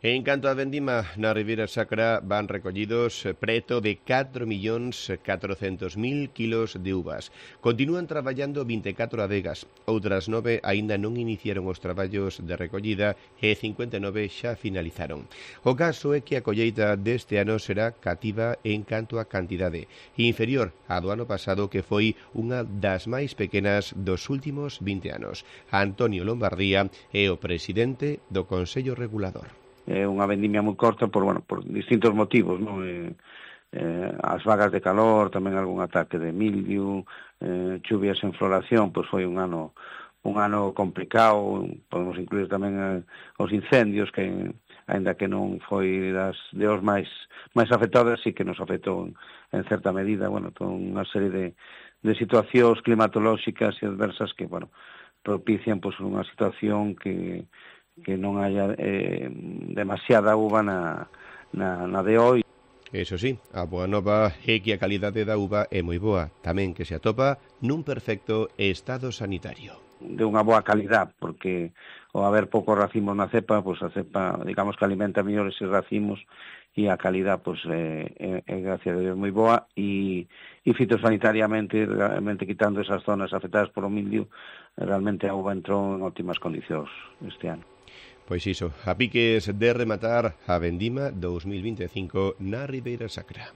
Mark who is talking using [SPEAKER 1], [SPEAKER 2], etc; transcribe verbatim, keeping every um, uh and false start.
[SPEAKER 1] En canto a vendima, na Ribeira Sacra van recollidos preto de catro millóns catrocentos mil kilos de uvas. Continúan traballando vinte e catro adegas, outras nove aínda non iniciaron os traballos de recollida e cincuenta e nove xa finalizaron. O caso é que a colleita deste ano será cativa en canto a cantidade, inferior á do ano pasado, que foi unha das máis pequenas dos últimos vinte anos. Antonio Lombardía é o presidente do Consello Regulador.
[SPEAKER 2] É unha vendimia moi corta por, bueno, por distintos motivos, non? Eh, eh, as vagas de calor, tamén algún ataque de mildio, eh, chuvias en floración, pois foi un ano un ano complicado. Podemos incluir tamén eh, os incendios, que aínda que non foi das de os máis máis afectadas, sí que nos afectou en, en certa medida, bueno, toda unha serie de, de situacións climatolóxicas e adversas que, bueno, propician pois unha situación que que non haya eh, demasiada uva na, na, na de hoy.
[SPEAKER 1] Eso sí, a boa nova é que a calidade da uva é moi boa, tamén que se atopa nun perfecto estado sanitario.
[SPEAKER 2] De unha boa calidad, porque ao haber poucos racimos na cepa, pois a cepa, digamos que alimenta mellor eses racimos, e a calidad, pois, é, é, é gracias a Dios moi boa, e, e fitosanitariamente, realmente quitando esas zonas afectadas por o mildio, realmente a uva entrou en óptimas condicións este ano.
[SPEAKER 1] Pois iso, a piques de rematar a vendima dous mil vinte e cinco na Ribeira Sacra.